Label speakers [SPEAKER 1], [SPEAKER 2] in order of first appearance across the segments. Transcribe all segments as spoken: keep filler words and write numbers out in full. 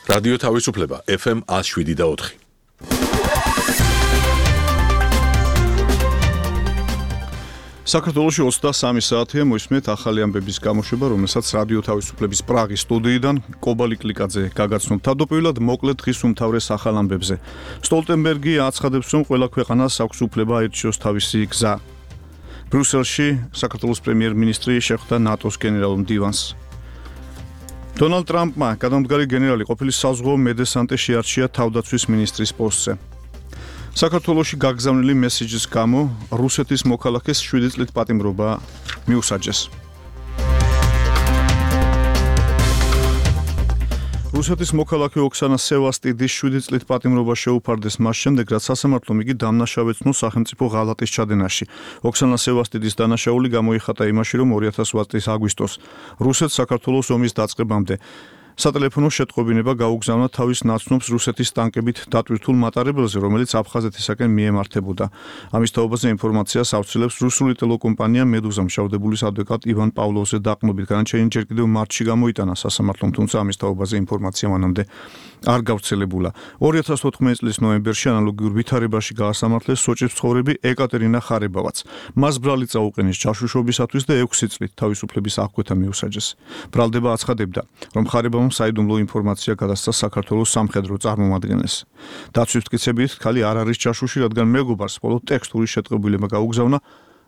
[SPEAKER 1] რადიო თავისუფლება ეფ ემ ათს შვიდი და ოთხი.
[SPEAKER 2] საქართველოში ოცდასამი საათია მოისმენთ ახალი ამბების გამოშვება, რომელსაც რადიო თავისუფლების პრაღის სტუდიიდან კობა ლიკლიკაძე გაგაცნობ. თავდაპირველად მოკლედ დღის უმთავრეს ახალ ამბებზე. სტოლტენბერგი აცხადებს, რომ ყველა ქვეყანას აქვს უფლება აირჩიოს თავისი გზა. ბრიუსელში საქართველოს პრემიერ-მინისტრი შეხვდა ნატოს გენერალურ მდივანს. დონალდ ტრამპმა გადამდგარი გენერალი ყოფილი საზღვაო მედესანტე შეარჩია თავდაცვის მინისტრის პოსტზე. საქართველოში გაგზავნილი მესიჯის გამო რუსეთის მოქალაქეს შვიდი წლით პატიმრობა მიუსაჯეს. რუსეთის მოქალაქე ოქსანა სევასტიდის შვიდი წლით პატიმრობა შეუფარდეს მას შემდეგ, რაც სასამართლომ იგი დამნაშავეცნო სახელმწიფო ღალატის ჩადენაში. ოქსანა სევასტიდის დანაშაული გამოიხატა იმაში, რომ ორი ათას ოცდაათი წლის აგვისტოს რუსეთს საქართველოს ომის დაწყებამდე სატელეფონო შეტყობინება გაუგზავნა თავის ნაცნობს რუსეთის ტანკებით დატვირთულ მატარებელზე, რომელიც აფხაზეთისაკენ მიემართებოდა. ამის თაობაზე ინფორმაციას ავრცელებს რუსული ტელეკომპანია მედუზა. მშავდებულის ადვოკატ ივან პავლოვზე დაყრდნობით განაჩენი ჯერ კიდევ მარტში გამოიტანა სასამართლომ, თუმცა ამის თაობაზე ინფორმაცია მანამდე არ გავრცელებულა. ორი ათას ოთხმოცდაათი წლის ნოემბერში ანალოგიურ ვითარებაში გაასამართლეს სოჭის მცხოვრები ეკატერინა ხარებავაც. მას ბრალი წაუყენეს ჯაშუშობისათვის და ექვსი წლით თავისუფლების აღკვეთა მიუსაჯეს. ბრალდება აცხადებდა, რომ ხარებავამ საიდუმლო ინფორმაცია გადასცა საქართველოს სამხედრო წარმომადგენელს. დაცვის მტკიცებით, ქალი არ არის ჯაშუში, რადგან მეგობარს მხოლოდ ტექსტური შეტყობილება გაუგზავნა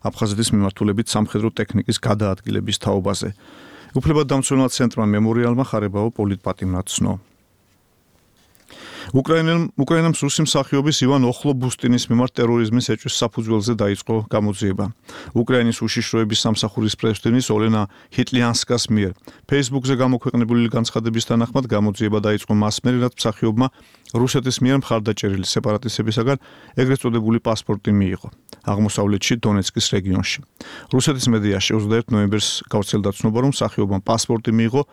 [SPEAKER 2] აფხაზეთის მიმართულებით სამხედრო ტექნიკის გადაადგილების თაობაზე. უფლებადამცველთა ცენტრმა მემორიალმა ხარებავა პოლიტპატიმრად ცნო. უკრაინამ რუსი მსახიობის ივან ოხლობუსტინის მიმართ ტერორიზმის ეჭვის საფუძველზე დაიწყო გამოძიება. უკრაინის უშიშროების სამსახურის პრეზიდენტის ოლენა ჰიტლიანსკას მიერ Facebook-ზე გამოქვეყნებული განცხადების თანახმად გამოძიება დაიწყო მას მერე, რაც მსახიობმა რუსეთის მიერ მხარდაჭერილი სეპარატისტებისაგან ეგრეთ წოდებული პასპორტი მიიღო აღმოსავლეთში დონეცკის რეგიონში. რუსეთის მედიაში ოცდაერთი ნოემბერს გავრცელდა ცნობა, რომ მსახიობამ პასპორტი მიიღო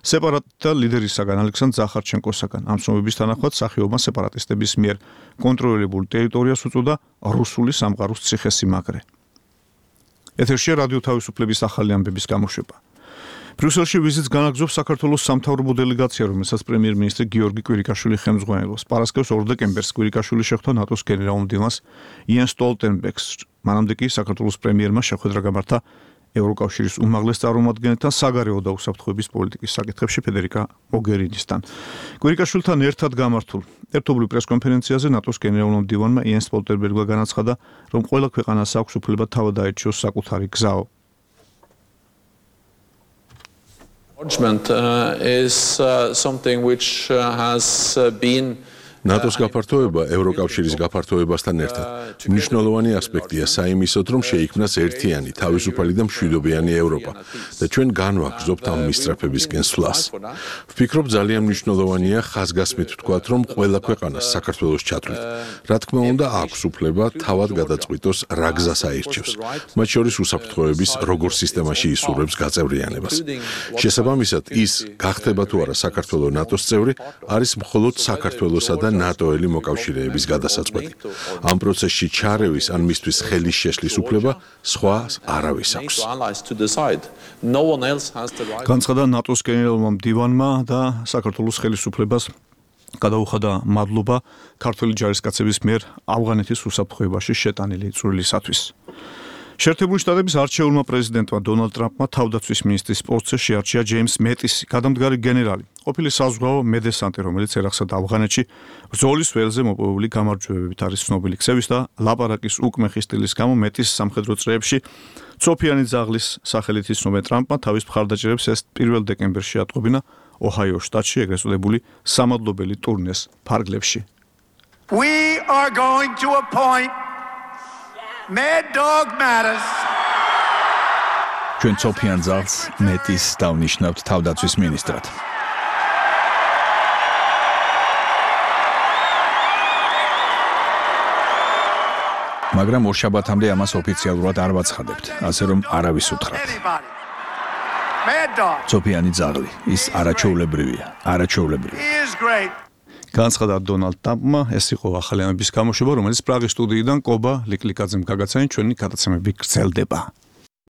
[SPEAKER 2] სეპარატისტთა ლიდერისაგან ალექსანდრ ზახარჩენკოსაგან. ამ ცნობების თანახმად მსახიობმა სეპარატისტების მიერ კონტროლირებულ ტერიტორიას უწოდა რუსული სამყაროს ციხესიმაგრე. ეთერშია რადიო თავისუფლების ახალი ამბების გამოშვება. ბრიუსელში ვიზიტს განაგრძობს საქართველოს სამთავრობო დელეგაცია, რომელსაც პრემიერ-მინისტრი გიორგი კვირიკაშვილი ხელმძღვანელობს. პარასკევს ორ დეკემბერს კვირიკაშვილი შეხვდა ნატოს გენერალურ მდივანს იენს სტოლტენბერგს. მანამდე კი საქართველოს პრემიერმა შეხვედრა გამართა ევროკავშირის უმაღლეს წარმომადგენელთან საგარეო და უსაფრთხოების პოლიტიკის საკითხებში ფედერიკა მოგერინისთან. კვირიკაშვილთან ერთად გამართულ ერთობლივ პრესკონფერენციაზე ნატოს გენერალურ მდივანმა იენს სტოლტენბერგმა განაცხადა, რომ ყველა ქვეყანას აქვს უფლება თავად აირჩიოს საკუთარი გზაო.
[SPEAKER 3] Engagement uh, is uh, something which uh, has uh, been
[SPEAKER 1] ნატოს გაფართოება ევროკავშირის გაფართოებასთან ერთად მნიშვნელოვანი ასპექტია საიმისოდ, რომ შეიქმნას ერთიანი, თავისუფალი და მშვიდობიანი ევროპა და ჩვენ განვაგრძობთ ამ მისწრაფებისკენ სვლას. ვფიქრობ, ძალიან მნიშვნელოვანია ხაზგასმით ვთქვათ, რომ ყველა ქვეყანას საქართველოს ჩათვლით. რა თქმა უნდა, აქვს უფლება თავად გადაწყვიტოს რა გზას აირჩევს, მათ შორის უსაფრთხოების როგორ სისტემაში ისურვებს გაწევრიანებას. შესაბამისად, ის გახდება თუ არა საქართველოს ნატოს წევრი, არის მხოლოდ საქართველოსა და ნატოელი მოკავშირეების გადასაწყვეტი. ამ პროცესში ჩარევის ან მისთვის ხელის შეშლის უფლება სხვა არავის აქვს.
[SPEAKER 2] განცხადა ნატოს გენერალურმა მდივანმა და საქართველოს ხელისუფლებას გადაუხადა მადლობა ქართველი ჯარისკაცების მიერ ავღანეთის უსაფრთხოებაში შეტანილი წვლილისათვის. შეერთებული შტატების არჩეულმა პრეზიდენტმა დონალდ ტრამპმა თავდაცვის მინისტრის პოსტზე შეარჩია ჯეიმს მეტისი, გადამდგარი გენერალი, ყოფილი საზღვაო მედესანტე, რომელიც ერახსა ავღანეთში ბრძოლის ველზე მოპოვებული გამარჯვებებით არის ცნობილი. ქცევის და ლაპარაკის უკმეხი სტილის გამო მეტის სამხედრო წრეებში ცოფიანი ძაღლის სახელით იცნობენ. ტრამპმა თავის მხარდაჭერებს ეს პირველ დეკემბერში ატყობინა ოჰაიოს შტატში ეგრეთ წოდებული სამადლობელი ტურნეს ფარგლებში.
[SPEAKER 4] We are going to appoint Mad Dog Mattis.
[SPEAKER 5] ჩვენ ცოფიან ძაღლს მეტის დავნიშნავთ თავდაცვის მინისტრად. მაგრამ ორშაბათამდე ამას ოფიციალურად არ ვაცხადებთ, ასე რომ არავის უთხრათ. ცოფიანი ძაღლი, ის არაჩვეულებრივია, არაჩვეულებრივი.
[SPEAKER 2] განცხადა დონალდ ტრამპმა, ეს იყო ახალი ამბების გამოშვება, რომელიც პრაღის სტუდიიდან კობა ლიკლიკაძემ გაგაცანა, ჩვენი გადაცემები გრძელდება.